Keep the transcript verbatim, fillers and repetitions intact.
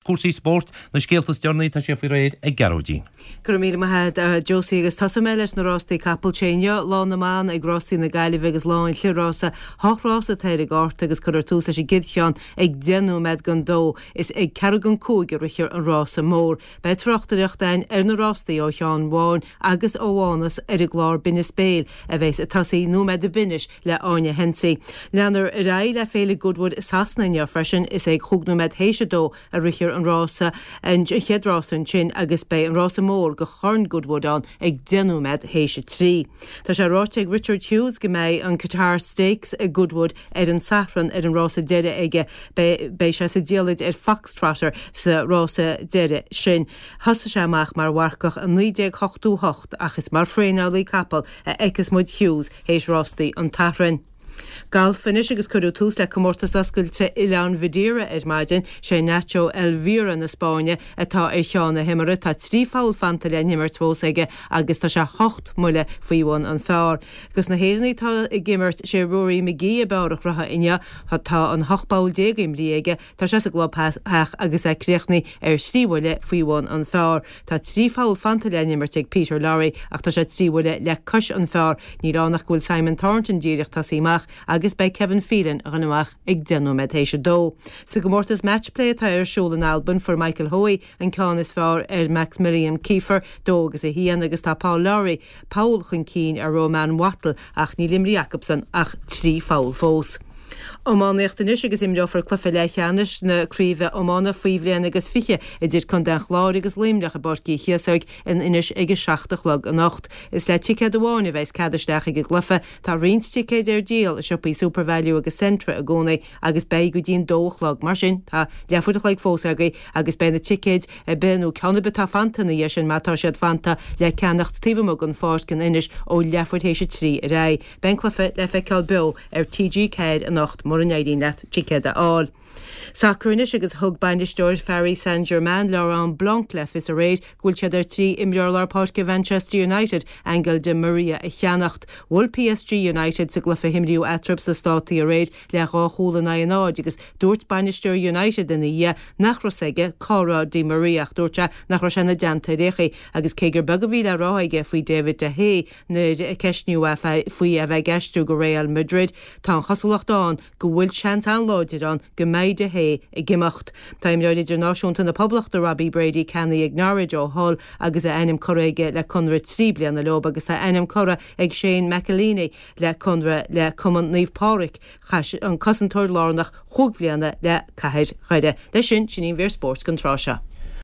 Cúrsaí spóirt na scéalta is deireanaí tá sé faoi réir ag Gearóidín. Go raibh míle maith agat Josie agus tosóidh mé leis na rástaí capall inniu lá na mban ag rástaí na Gaillimhe agus lá an chliathrasa hocht rás atá ar an gcárta agus cuirfear tús leis an gcéad cheann ag deich nóiméad don dó is ag ceathrú don cúig a rithfear an rása mór. Beidh tráchtaireacht againn ar na rástaí ó Sheán Bháin agus ó Mhánas ar an gclár Binneas Béil a bheas ag tosaí nóiméad go bainis le Áine Hensey. Leanfar ar aghaidh le féile Goodwood Sasana inniu freisin is ag chúig nóiméad théis a dó a rithfear an rása an chéad rás ansin agus beidh an rása mór do Chorn Goodwood ann ag deich nóiméad théis a trí. Tá sé ráite ag Richard Hughes go mbeidh an Qatar Stakes ag Goodwood ar an Satharn ar an rása deiridh aige beidh sé sa diallait ar Foxtrotter sa rása deiridh sin. Thosaigh sé amach mar mharcach i naoi déag ochtó hocht ach is mar thraenálaí capall a fheicfeas muid Hughes théis rástaí an tSathairn. Galf anois agus cuireadh tús le comórtas oscailte Oileán Mhadeira ar maidin sé Nacho Elvira na Spáinne atá ar cheann na himeartha tá trí pholl fanta le n-imirt fós aige agus tá sé hocht mbuille faoi bhun an phar. Agus na hÉireannaigh atá ag imirt sé Rory McGee ab fhearr a chruthaigh inniu tá an hocht bpoll déag imrithe aige tá sé sa gclubtheach agus é críochnaithe ar thrí bhuille faoi bhun an phar. Tá trí pholl fanta le n-imirt ag Peter Lawrie ach tá sé trí bhuille le cois an phar. Níl ann ach go bhfuil Simon Thornton díreach tosaithe amach agus beidh Kevin Phelan a amach ag deich nóiméad théis a dó. Sa gcomórtas matchplay atá ar siúl in Albain fuair Michael Hoey an ceann is fearr ar Maximilian Kiefer dó agus a haon agus tá Paul Lawrie poll chun cinn ar Roman Wattle ach níl imrithe acusan ach trí pholl fós. Iománaíocht anois agus imreofar cluiche leathcheannais na craoibhe iomána faoi bhliain agus fiche idir Contae an Chláir agus Luimneach i bPáirc Uí Chíosóg in Inis ag a seacht a chlog anocht. Is le ticéad amháin a bheas cead isteach ag an gcluiche, tá roinnt ticéid ar díol i siopaí Supervalu agus Centra i gcónaí agus beidh go dtí'n dó a chlog mar sin tá leathuair a chloig fós agaibh agus beidh na ticéid ar bith nó ceann ar bith atá fanta ina dhiaidh sin má tá siad fanta le ceannacht taobh amuigh den pháirc in Inis ó leathuair théis a trí ar aghaidh. Beidh an cluiche le feiceáil beo ar TG Ceathair anocht mura n-éiríonn leat ticéad a fháil. Sacar anois agus thug bainisteoir Paris Saint-Germain Laurent Blanc le fios aréir go bhfuil siad ar tí imreoir lár páirce Manchester United Angel Di Maria a cheannacht. Bhuail PSG United sa gcluiche a himríodh eatarthu sna Státaí aréir le dhá chúl in aghaidh a náid agus dúirt bainisteoir United ina dhiaidh nach raibh aige cá raibh Di Maria ach dúirt sé nach raibh sé ina dteannta ar aon chaoi agus cé gur beag a bhí le rá aige faoi David De Gea nuair a ceistíodh faoi a bheith ag aistriú go Real Madrid tá an chosúlacht ann go bhfuil seans an-láidir ann go mbeidh De Gea ag imeacht. Tá imreoir idirnáisiúnta na Poblachta Robbie Brady ceannaithe ag Norwich ó Hull agus a ainm curtha aige le conradh trí bliana leo agus tá ainm curtha ag Shane McEleney le conradh le Cumann Naomh Pádraig chaith an cosantóir lárnach chúig bliana le Cathair Dhoire. Leis sin sin í an mhír spóirt don tráth seo.